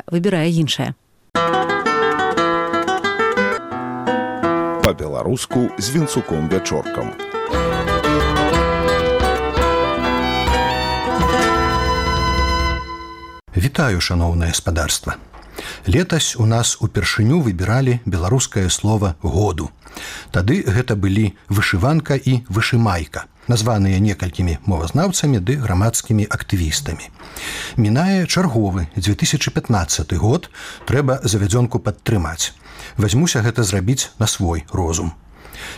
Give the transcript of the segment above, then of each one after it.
выбірае іншае. Па-беларуску з Вінцуком Вячоркам. Вітаю, шаноўнае гаспадарства. Летась у нас упершыню выбіралі беларускае слова «году». Тады гэта былі вышыванка і вышымайка, названыя некалькімі мовазнаўцамі ды грамадскімі актывістамі. Мінае чарговы 2015 год, трэба завядзёнку падтрымаць. Вазьмуся гэта зрабіць на свой розум.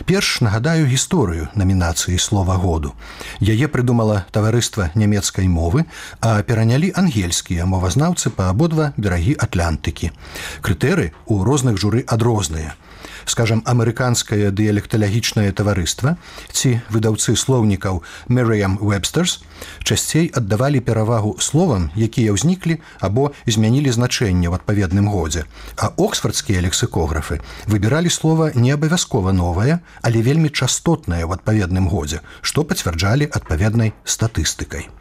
Перш нагадаю гісторыю намінацыі слова «году». Яе прыдумала таварыства нямецкай мовы, а перанялі ангельскія мовазнаўцы па абодва берагі Атлантыкі. Крытэры ў розных журы адрозныя. Скажам, амерыканскае дыялекталагічнае таварыства ці выдаўцы слоўнікаў Merriam-Webster's часцей аддавалі перавагу словам, якія ўзніклі або змянілі значэнне ў адпаведным годзе, а оксфардскія лексікографы выбіралі слова не абавязкова новае, але вельмі частотнае ў адпаведным годзе, што пацвярджалі адпаведнай статыстыкай.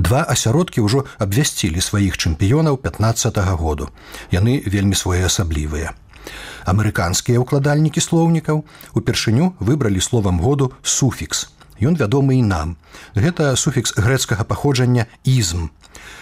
Два асяродкі ўжо абвясцілі сваіх чэмпіёнаў 15-го году. Яны вельмі своеасаблівыя. Амерыканскія ўкладальнікі слоўнікаў упершыню выбралі словам году суфікс. Ён вядомы і нам. Гэта суфікс грэцкага паходжання «ізм».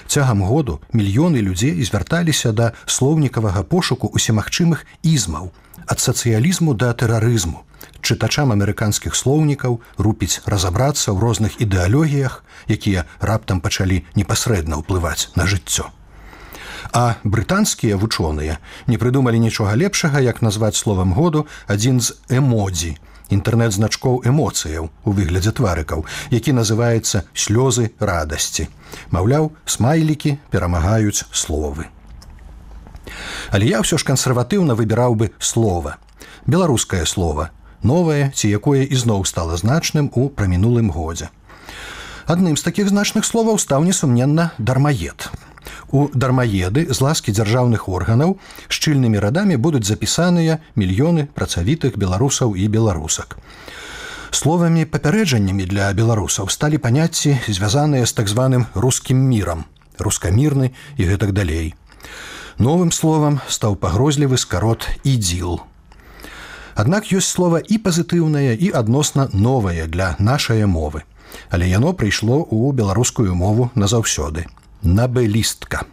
Цягам году мільёны людзей звярталіся да слоўнікавага пошуку усімагчымых ізмаў, ад сацыялізму да тэрарызму. Чытачам амерыканскіх слоўнікаў рупіць разабрацца ў розных ідэалогіях, якія раптам пачалі непасрэдна ўплываць на жыццё. А брытанскія вучоныя не прыдумалі нічога лепшага, як назваць словам году адзін з эмодзі, інтэрнэт-значкоў эмоцыяў у выглядзе тварыкаў, які называецца «слёзы радасці». Маўляў, смайлікі перамагаюць словы. Але я ўсё ж кансерватыўна выбіраў бы слова. Беларускае слова, новае, ці якое ізноў стала значным у прамінулым годзе. Адным з такіх значных словаў стаў, несумненна, дармаед. У дармаеды з ласкі дзяржаўных органаў шчыльнымі радамі будуць запісаныя мільёны працавітых беларусаў і беларусак. Словамі папярэджаннямі для беларусаў сталі паняцці, звязаныя з так званым рускім мірам, рускамірны і гэтак далей. Новым словам стаў пагрозлівы скарот «ідзіл». Аднак ёсць слова і пазітыўнае, і адносна новае для нашае мовы. Але яно прыйшло ў беларускую мову назаўсёды. Набелістка.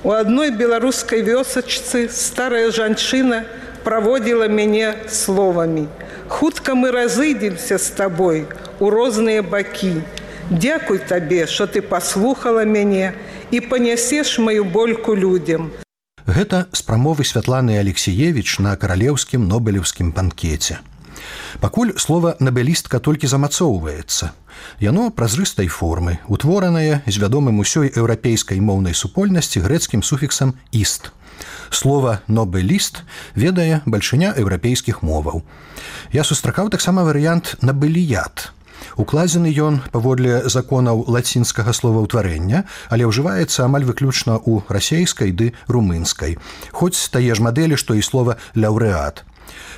У адной беларускай вёсачцы старая жанчына праводзіла мяне словамі: «Хутка мы разыдземся з табой у розныя бакі. Дзякуй табе, што ты паслухала мяне і панясеш маю больку людзям». Гэта з прамовы Святланы Алексіевіч на каралеўскім нобелеўскім банкеце. Пакуль слова «набелістка» толькі замацоўваецца. Яно празрыстай формы, утворанае з вядомым усёй еўрапейскай моўнай супольнасці грэцкім суфіксам «іст». Слова «нобеліст» ведае бальшыня еўрапейскіх моваў. Я сустракаў таксама варыянт «набеліят». Укладзены ён паводле законаў лацінскага словаўтварэння, але ўжываецца амаль выключна ў расейскай ды румынскай, хоць тае ж мадэлі, што і слова «лаўрэат».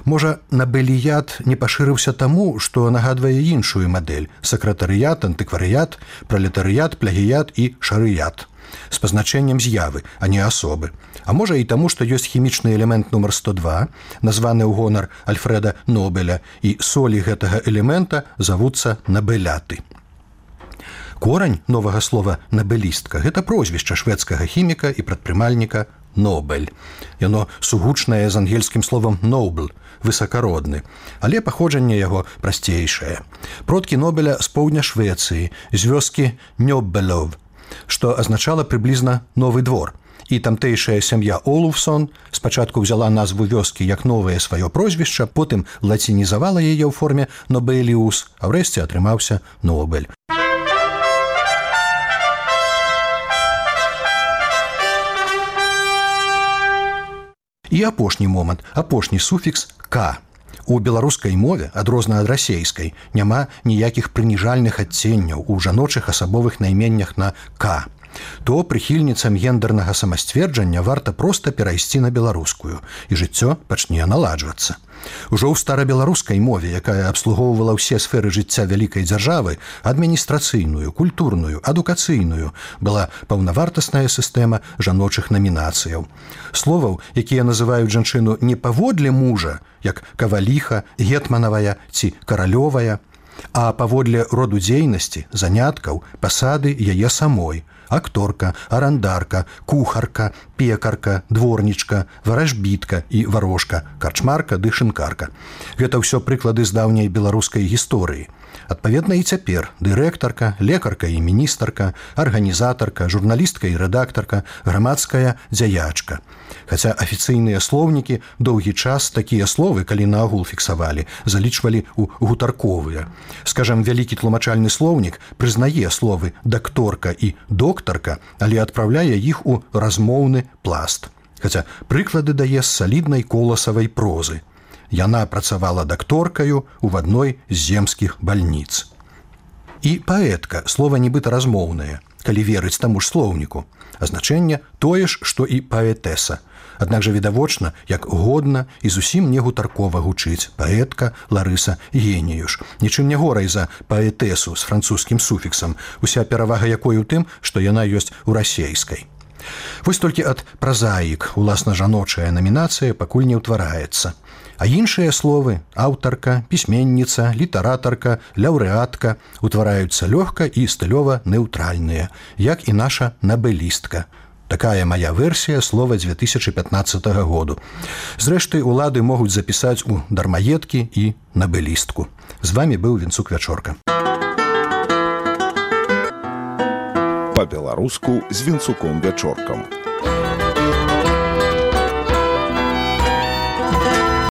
Можа, набеліят не пашырыўся таму, што нагадвае іншую мадэль – сакратарыят, антыкварыят, пралетарыят, плагіят і шарыят. З пазначэннем з'явы, а не асобы. А можа і таму, што ёсць хімічны элемент нумар 102, названы ў гонар Альфрэда Нобеля, і солі гэтага элемента завуцца набеляты. Корань новага слова «набелістка» – гэта прозвішча шведскага хіміка і прадпрымальніка Нобель. Яно сугучнае з ангельскім словам «noble» – высакародны, але паходжанне яго прасцейшае. Продкі Нобеля з поўдня Швецыі, з вёскі Нёббелов, што азначала прыблізна «новы двор». І тамтэйшая сям'я Олуфсон спачатку ўзяла назву вёскі як новае сваё прозвішча, потым лацінізавала яе ў форме «Нобеліус», а ўрэшце атрымаўся «Нобель». І апошні момант, апошні суфікс «к». У беларускай мове, адрозна ад расейскай, няма ніякіх прыніжальных адценняў у жаночых асабовых найменнях на «к». то прыхільніцам гендернага самасцверджання варта проста перайсці на беларускую, і жыццё пачне наладжвацца. Ужо ў старабеларускай мове, якая абслугоўвала ўсе сферы жыцця вялікай дзяржавы, адміністрацыйную, культурную, адукацыйную, была паўнавартасная сістэма жаночых намінацыяў. Словаў, якія называюць жанчыну не паводле мужа, як каваліха, гетманавая ці каралёвая, а паводле роду дзейнасці, заняткаў, пасады яе самой – акторка, арандарка, кухарка, пекарка, дворнічка, варажбітка і варожка, карчмарка ды шынкарка. Гэта ўсё прыклады з даўняй беларускай гісторыі. Адпаведна і цяпер дырэктарка, лекарка і міністарка, арганізатарка, журналістка і рэдактарка, грамадская дзяячка. Хаця афіцыйныя слоўнікі доўгі час такія словы, калі наогул фіксавалі, залічвалі ў гутарковыя. Скажам, вялікі тлумачальны слоўнік прызнае словы дакторка і доктарка, але адпраўляе іх у размоўны пласт. Хаця прыклады дае з саліднай коласавай прозы. Яна працавала дакторкаю ў адной з земскіх бальніц. І паэтка, слова нібыта размоўнае, калі верыць таму ж слоўніку. А значэнне тое ж, што і паэтэса. Аднак жа відавочна, як годна і зусім не гутаркова гучыць паэтка Ларыса Геніюш. Нічым не горай за паэтэсу з французскім суфіксам, уся перавага якой у тым, што яна ёсць у расейскай. Вось толькі ад празаік уласна жаночая намінацыя пакуль не ўтвараецца. А іншыя словы – аўтарка, пісьменніца, літаратарка, лаўрэатка – утвараюцца лёгка і стылёва неўтральныя, як і наша набэлістка. Такая мая версія слова 2015 году. Зрэшты, улады могуць запісаць у дармаедкі і набэлістку. З вамі быў Вінцук Вячорка. Па-беларуску з Вінцуком Вячоркам.